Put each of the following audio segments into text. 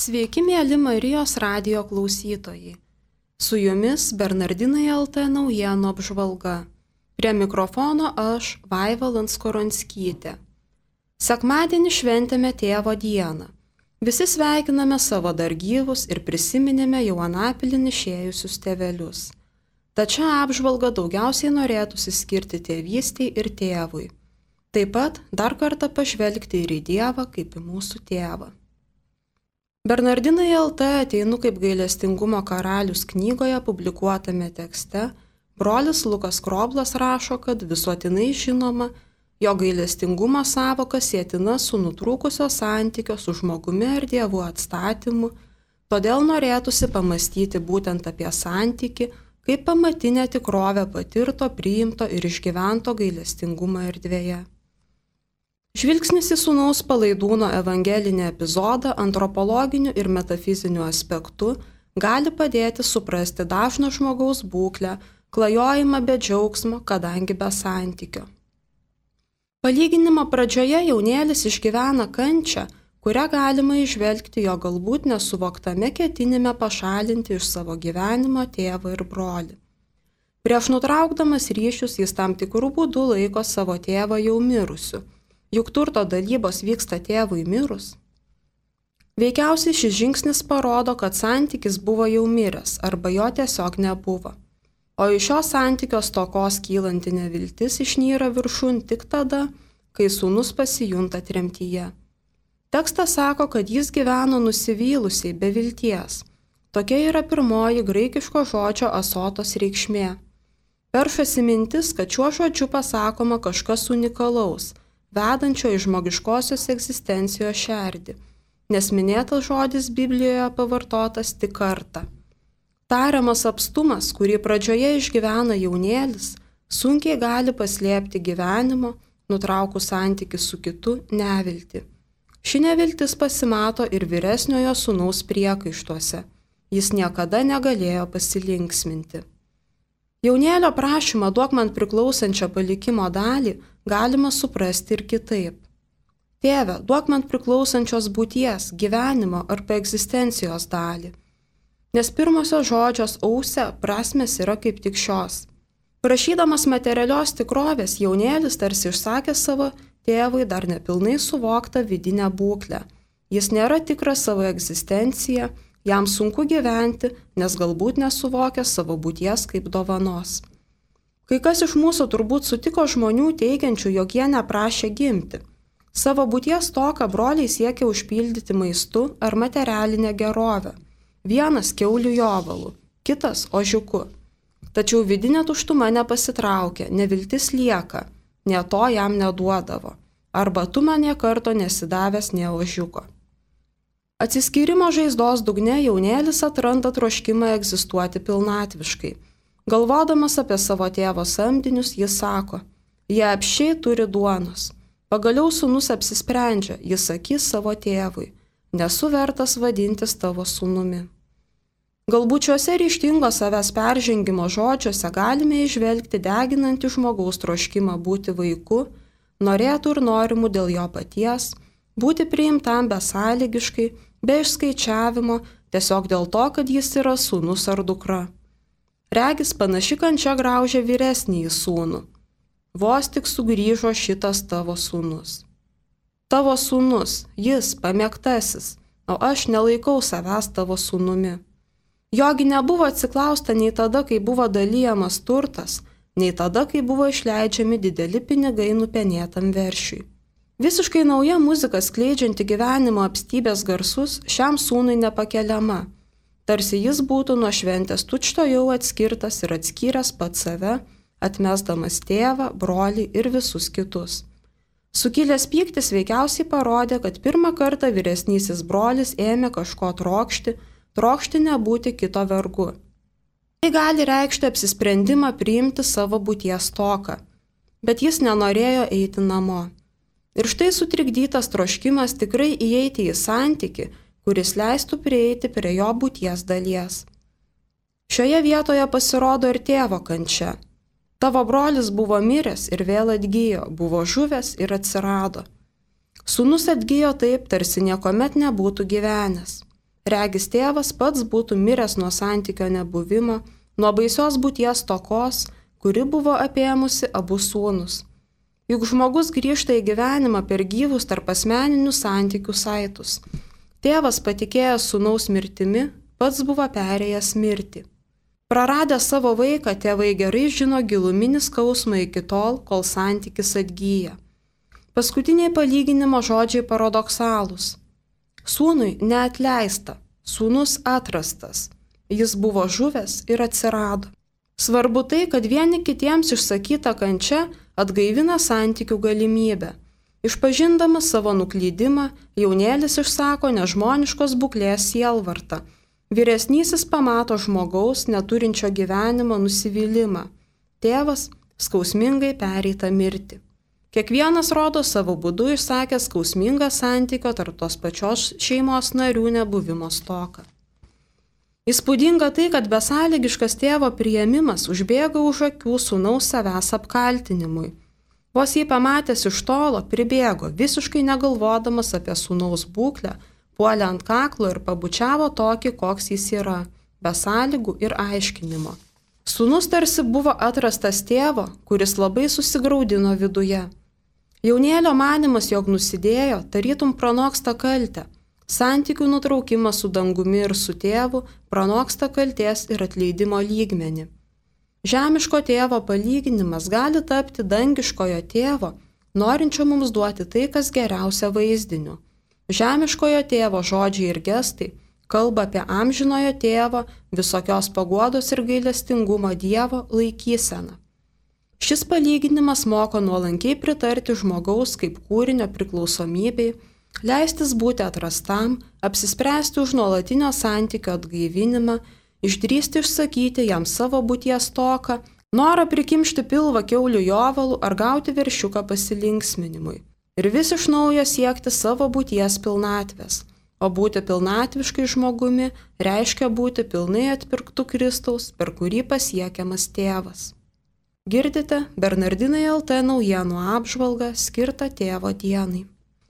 Sveiki, mėly Marijos radijo klausytojai. Su jumis Bernardinai LT naujienų apžvalga. Prie mikrofono aš, Vaiva Landskoronskytė. Sekmadienį šventėme Tėvo dieną. Visi sveikiname savo dar gyvus ir prisiminėme jau anapilin išėjusius tėvelius. Tačiau apžvalga daugiausiai norėtųsi skirti tėvystei ir tėvui. Taip pat dar kartą pažvelgti ir į Dievą kaip į mūsų tėvą. Bernardinai LT ateinu kaip gailestingumo karalius knygoje publikuotame tekste, brolis Lukas Kroblas rašo, kad visuotinai žinoma, jo gailestingumo sąvoka sietina su nutrūkusio santykio su žmogumi ar Dievu atstatymu, todėl norėtųsi pamastyti būtent apie santykį, kaip pamatinę tikrovę patirto, priimto ir išgyvento gailestingumo erdvėje. Žvilgsnis į Sūnaus Palaidūno evangelinį epizodą antropologiniu ir metafiziniu aspektu gali padėti suprasti dažno žmogaus būklę, klajojimą be džiaugsmo, kadangi be santykio. Palyginimo pradžioje jaunėlis išgyvena kančią, kurią galima įžvelgti jo galbūt nesuvoktame ketinime pašalinti iš savo gyvenimo tėvą ir brolį. Prieš nutraukdamas ryšius jis tam tikrų būdų laiko savo tėvą jau mirusiu. Juk turto dalybos vyksta tėvui mirus. Veikiausiai šis žingsnis parodo, kad santykis buvo jau miręs arba jo tiesiog nebuvo. O iš šio santykio stokos kylanti neviltis išnyra viršun tik tada, kai sūnus pasijunta tremtyje. Tekstas sako, kad jis gyveno nusivylusiai, be vilties. Tokia yra pirmoji graikiško žodžio asotos reikšmė. Peršasi mintis, kad šiuo žodžiu pasakoma kažkas unikalaus, vedančio į žmogiškosios egzistencijos šerdį, nes minėtas žodis Biblijoje pavartotas tik kartą. Tariamas apstumas, kurį pradžioje išgyvena jaunėlis, sunkiai gali paslėpti gyvenimo, nutraukus santykį su kitu, neviltį. Ši neviltis pasimato ir vyresniojo sūnaus priekaištuose. Jis niekada negalėjo pasilinksminti. Jaunėlio prašymą duok man priklausančią palikimo dalį galima suprasti ir kitaip. Tėve, duok man priklausančios būties, gyvenimo arba egzistencijos dalį. Nes pirmosios žodžios ause prasmės yra kaip tik šios. Prašydamas materialios tikrovės, jaunėlis tarsi išsakė savo tėvui dar nepilnai suvoktą vidinę būklę. Jis nėra tikras savo egzistenciją, jam sunku gyventi, nes galbūt nesuvokia savo būties kaip dovanos. Kai kas iš mūsų turbūt sutiko žmonių teigiančių, jog jie neprašė gimti. Savo būties stoką broliai siekia užpildyti maistu ar materialinę gerovę. Vienas kiaulių jovalu, kitas ožiuku. Tačiau vidinė tuštuma nepasitraukia, neviltis lieka, nė to jam neduodavo. Arba tu man nė karto nesidavęs nė ožiuko. Atsiskyrimo žaizdos dugne jaunėlis atranda troškimą egzistuoti pilnatviškai. Galvodamas apie savo tėvo samdinius, jis sako, jie apsčiai turi duonos. Pagaliau sūnus apsisprendžia, jis sakys savo tėvui, nesu vertas vadintis tavo sūnumi. Galbūt šiuose ryžtingo savęs peržengimo žodžiuose galime įžvelgti deginantį žmogaus troškimą būti vaiku, norėtų ir norimų dėl jo paties, būti priimtam besąlygiškai, be išskaičiavimo, tiesiog dėl to, kad jis yra sūnus ar dukra. Regis panaši kančia graužia vyresnįjį sūnų. Vos tik sugrįžo šitas tavo sūnus. Tavo sūnus, jis pamėgtasis, o aš nelaikau savęs tavo sūnumi. Jogi nebuvo atsiklausta nei tada, kai buvo dalyjamas turtas, nei tada, kai buvo išleidžiami dideli pinigai nupenėtam veršiui. Visiškai nauja muzika skleidžianti gyvenimo apstybės garsus šiam sūnui nepakeliama. Tarsi jis būtų nuo šventės tučto jau atskirtas ir atskyręs pats save, atmesdamas tėvą, brolį ir visus kitus. Sukilęs pyktis veikiausiai parodė, kad pirmą kartą vyresnysis brolis ėmė kažko trokšti nebūti kito vergu. Tai gali reikšti apsisprendimą priimti savo būties stoką, bet jis nenorėjo eiti namo. Ir štai sutrikdytas troškimas tikrai įeiti į santykį, kuris leistų prieiti prie jo būties dalies. Šioje vietoje pasirodo ir tėvo kančia. Tavo brolis buvo miręs ir vėl atgijo, buvo žuvęs ir atsirado. Sūnus atgijo taip, tarsi niekuomet nebūtų gyvenęs. Regis tėvas pats būtų miręs nuo santykio nebuvimo, nuo baisios būties tokos, kuri buvo apėmusi abu sūnus. Juk žmogus grįžta į gyvenimą per gyvus tarp asmeninių santykių saitus. Tėvas patikėjęs sūnaus mirtimi, pats buvo perėjęs mirtį. Praradę savo vaiką, tėvai gerai žino giluminį skausmą iki tol, kol santykis atgyja. Paskutiniai palyginimo žodžiai paradoksalūs. Sūnui neatleista, sūnus atrastas. Jis buvo žuvęs ir atsirado. Svarbu tai, kad vieni kitiems išsakyta kančia atgaivina santykių galimybę. Išpažindamas savo nuklydimą, jaunėlis išsako nežmoniškos būklės sielvartą. Vyresnysis pamato žmogaus neturinčio gyvenimo nusivylimą. Tėvas skausmingai pereitą mirtį. Kiekvienas rodo savo būdu išsakęs skausmingą santykio tarp tos pačios šeimos narių nebuvimo stoką. Įspūdinga tai, kad besąlygiškas tėvo priėmimas užbėga už akių sūnaus savęs apkaltinimui. Vos jį pamatęs iš tolo, pribėgo, visiškai negalvodamas apie sūnaus būklę, puolė ant kaklo ir pabučiavo tokį, koks jis yra, be sąlygų ir aiškinimo. Sūnus tarsi buvo atrastas tėvo, kuris labai susigraudino viduje. Jaunėlio manimas, jog nusidėjo, tarytum pranoksta kaltę. Santykių nutraukimas su dangumi ir su tėvu pranoksta kaltės ir atleidimo lygmenį. Žemiško tėvo palyginimas gali tapti dangiškojo tėvo, norinčio mums duoti tai, kas geriausia vaizdiniu. Žemiškojo tėvo žodžiai ir gestai kalba apie amžinojo tėvo, visokios paguodos ir gailestingumo Dievo laikyseną. Šis palyginimas moko nuolankiai pritarti žmogaus kaip kūrinio priklausomybei, leistis būti atrastam, apsispręsti už nuolatinio santykio atgaivinimą, išdrįsti išsakyti jam savo būties stoką, norą prikimšti pilvą kiaulių jovalų ar gauti veršiuką pasilinksminimui. Ir vis iš naujo siekti savo būties pilnatvės, o būti pilnatviškai žmogumi reiškia būti pilnai atpirktų Kristaus, per kurį pasiekiamas tėvas. Girdite Bernardinai LT naujienų apžvalgą skirtą tėvo dienai.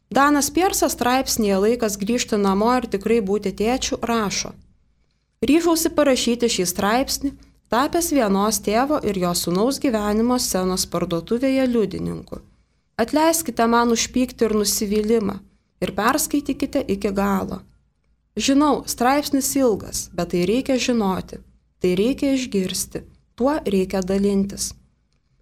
Danas Piersas straipsnėje Laikas grįžti namo ir tikrai būti tėčiu rašo: ryžausi parašyti šį straipsnį, tapęs vienos tėvo ir jo sūnaus gyvenimo scenos parduotuvėje liudininku. Atleiskite man už pyktį ir nusivylimą ir perskaitykite iki galo. Žinau, straipsnis ilgas, bet tai reikia žinoti, tai reikia išgirsti, tuo reikia dalintis.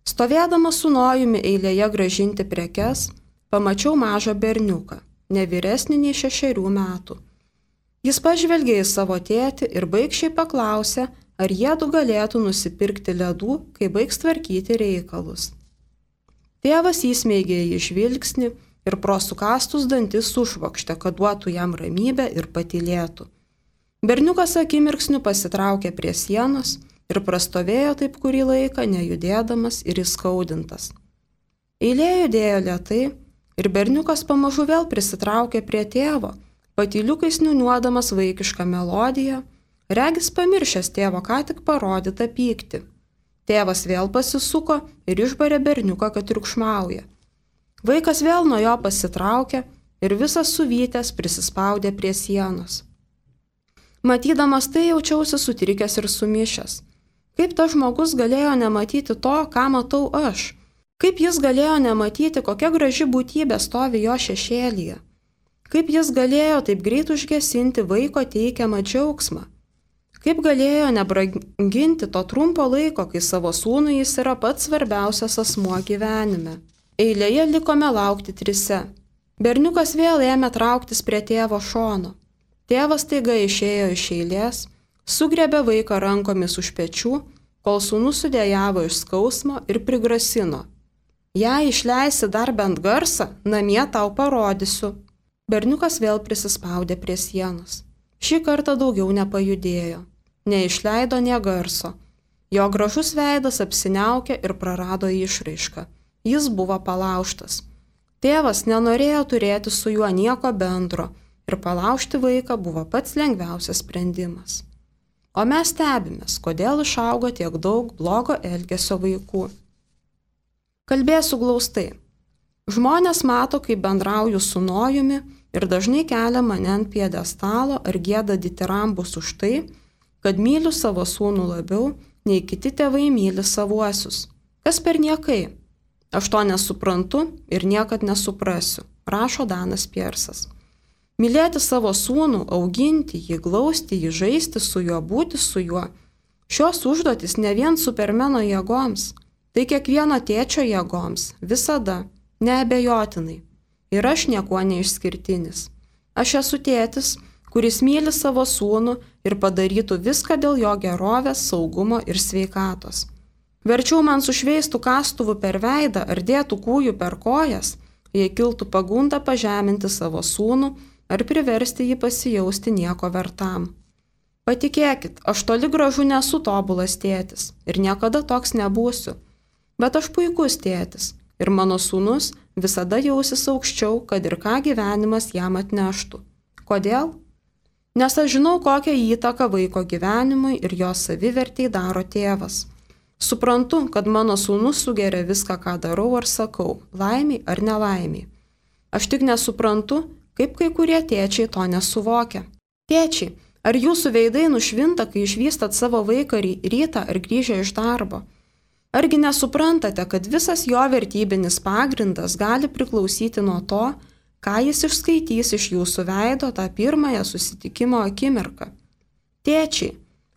Stovėdamas su nojumi eilėje gražinti prekes, pamačiau mažą berniuką, ne vyresnį nei 6 metų. Jis pažvelgė į savo tėtį ir baikščiai paklausė, ar jiedu galėtų nusipirkti ledų, kai baigs tvarkyti reikalus. Tėvas įsmeigė į žvilgsnį ir pro sukastus dantis sušvokštė, kad duotų jam ramybę ir patylėtų. Berniukas akimirksniu pasitraukė prie sienos ir prastovėjo taip kurį laiką, nejudėdamas ir įskaudintas. Eilė judėjo lėtai ir berniukas pamažu vėl prisitraukė prie tėvo, patyliukais niūniuodamas vaikišką melodiją, regis pamiršęs tėvo ką tik parodytą pyktį. Tėvas vėl pasisuko ir išbarė berniuką, kad triukšmauja. Vaikas vėl nuo jo pasitraukė ir visas suvytęs prisispaudė prie sienos. Matydamas tai jaučiausi sutrikęs ir sumišęs. Kaip tas žmogus galėjo nematyti to, ką matau aš? Kaip jis galėjo nematyti, kokia graži būtybė stovi jo šešėlyje? Kaip jis galėjo taip greit užgesinti vaiko teikiamą džiaugsmą? Kaip galėjo nebranginti to trumpo laiko, kai savo sūnui jis yra pats svarbiausias asmuo gyvenime? Eilėje likome laukti 3. Berniukas vėl ėmė trauktis prie tėvo šono. Tėvas taiga išėjo iš eilės, sugriebė vaiką rankomis už pečių, kol sūnus sudėjavo iš skausmo ir prigrasino: jei išleisi dar bent garsą, namie tau parodysiu. Berniukas vėl prisispaudė prie sienos. Šį kartą daugiau nepajudėjo. Neišleido nė garso. Jo gražus veidas apsiniaukė ir prarado išraišką. Jis buvo palaužtas. Tėvas nenorėjo turėti su juo nieko bendro ir palaužti vaiką buvo pats lengviausias sprendimas. O mes stebimės, kodėl išaugo tiek daug blogo elgesio vaikų. Kalbėsiu glaustai. Žmonės mato, kaip bendrauju su nojumi ir dažnai kelia mane ant piedestalo ar gieda ditirambus už tai, kad myliu savo sūnų labiau, nei kiti tėvai myli savuosius. Kas per niekai? Aš to nesuprantu ir niekad nesuprasiu, rašo Danas Piersas. Mylėti savo sūnų, auginti jį, glausti jį, žaisti su juo, būti su juo. Šios užduotis ne vien supermeno jėgoms, tai kiekvieno tėčio jėgoms, visada, neabejotinai. Ir aš niekuo neišskirtinis. Aš esu tėtis, kuris myli savo sūnų ir padarytų viską dėl jo gerovės, saugumo ir sveikatos. Verčiau man sušveistų kastuvų per veidą ar dėtų kūjų per kojas, jei kiltų pagunda pažeminti savo sūnų ar priversti jį pasijausti nieko vertam. Patikėkit, aš toli gražu nesu tobulas tėtis ir niekada toks nebūsiu, bet aš puikus tėtis ir mano sūnus visada jausis aukščiau, kad ir ką gyvenimas jam atneštų. Kodėl? Nes aš žinau, kokią įtaką vaiko gyvenimui ir jo savivertei daro tėvas. Suprantu, kad mano sūnus sugeria viską, ką darau ar sakau, laimiai ar nelaimiai. Aš tik nesuprantu, kaip kai kurie tėčiai to nesuvokia. Tėčiai, ar jūsų veidai nušvinta, kai išvystat savo vaiką rytą ar grįžę iš darbo? Argi nesuprantate, kad visas jo vertybinis pagrindas gali priklausyti nuo to, ką jis išskaitys iš jūsų veido tą pirmąją susitikimo akimirką? Tėčiai,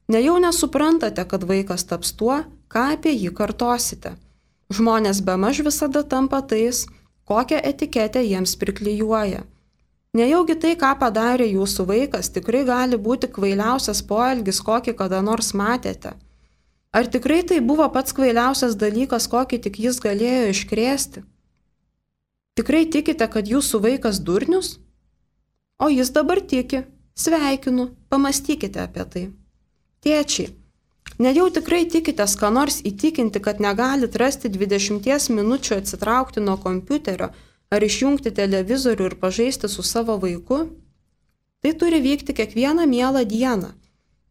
nejau nesuprantate, kad vaikas taps tuo, ką apie jį kartosite. Žmonės bemaž visada tampa tais, kokią etiketę jiems priklijuoja. Nejaugi tai, ką padarė jūsų vaikas, tikrai gali būti kvailiausias poelgis, kokį kada nors matėte. Ar tikrai tai buvo pats kvailiausias dalykas, kokį tik jis galėjo iškrėsti? Tikrai tikite, kad jūsų vaikas durnius? O jis dabar tiki. Sveikinu, pamastykite apie tai. Tėčiai, nejau tikrai tikitės, ką nors įtikinti, kad negalit rasti 20 minučių atsitraukti nuo kompiuterio ar išjungti televizorių ir pažaisti su savo vaiku? Tai turi vykti kiekvieną mielą dieną.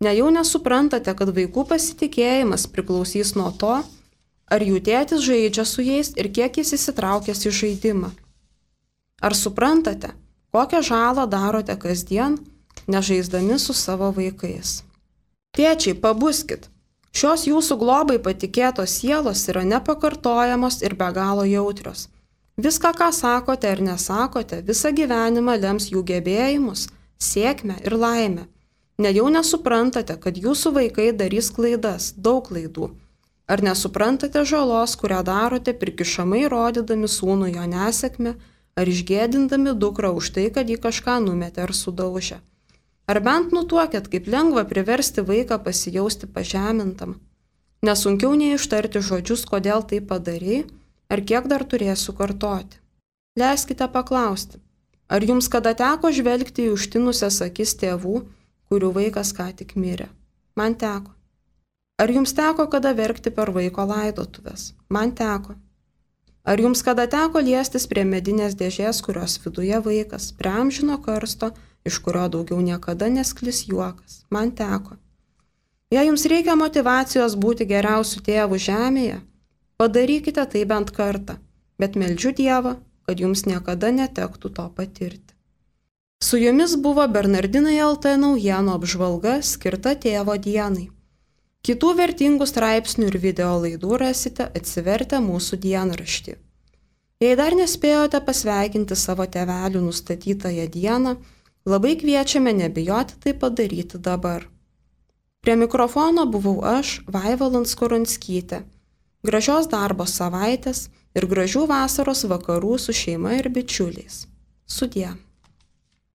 Nejau nesuprantate, kad vaikų pasitikėjimas priklausys nuo to, ar jų tėtis žaidžia su jais ir kiek jis įsitraukęs į žaidimą. Ar suprantate, kokią žalą darote kasdien, nežaisdami su savo vaikais? Tėčiai, pabuskit. Šios jūsų globai patikėtos sielos yra nepakartojamos ir be galo jautrios. Viską, ką sakote ir nesakote, visą gyvenimą lems jų gebėjimus, sėkmę ir laimę. Nejau nesuprantate, kad jūsų vaikai darys klaidas, daug klaidų. Ar nesuprantate žalos, kurią darote prikišamai rodydami sūnų jo nesėkmę, ar išgėdindami dukrą už tai, kad jį kažką numetė ar sudaužė? Ar bent nutuokėt, kaip lengva priversti vaiką pasijausti pažemintam? Nesunkiau nei ištarti žodžius, kodėl tai padarei, ar kiek dar turėsiu kartoti. Leiskite paklausti, ar jums kada teko žvelgti į užtinusias akis tėvų, kurių vaikas ką tik mirė? Man teko. Ar jums teko kada verkti per vaiko laidotuvės? Man teko. Ar jums kada teko liestis prie medinės dėžės, kurios viduje vaikas, prie amžino karsto, iš kurio daugiau niekada nesklis juokas? Man teko. Jei jums reikia motyvacijos būti geriausiu tėvu žemėje, padarykite tai bent kartą, bet meldžiu Dievą, kad jums niekada netektų to patirti. Su jumis buvo Bernardinai LT naujienų apžvalga skirta tėvo dienai. Kitų vertingų straipsnių ir video laidų rasite atsivertę mūsų dienraštį. Jei dar nespėjote pasveikinti savo tėvelių nustatytąją dieną, labai kviečiame nebijoti tai padaryti dabar. Prie mikrofono buvau aš, Vaiva Landskoronskytė. Gražios darbo savaitės ir gražių vasaros vakarų su šeima ir bičiuliais. Sudie.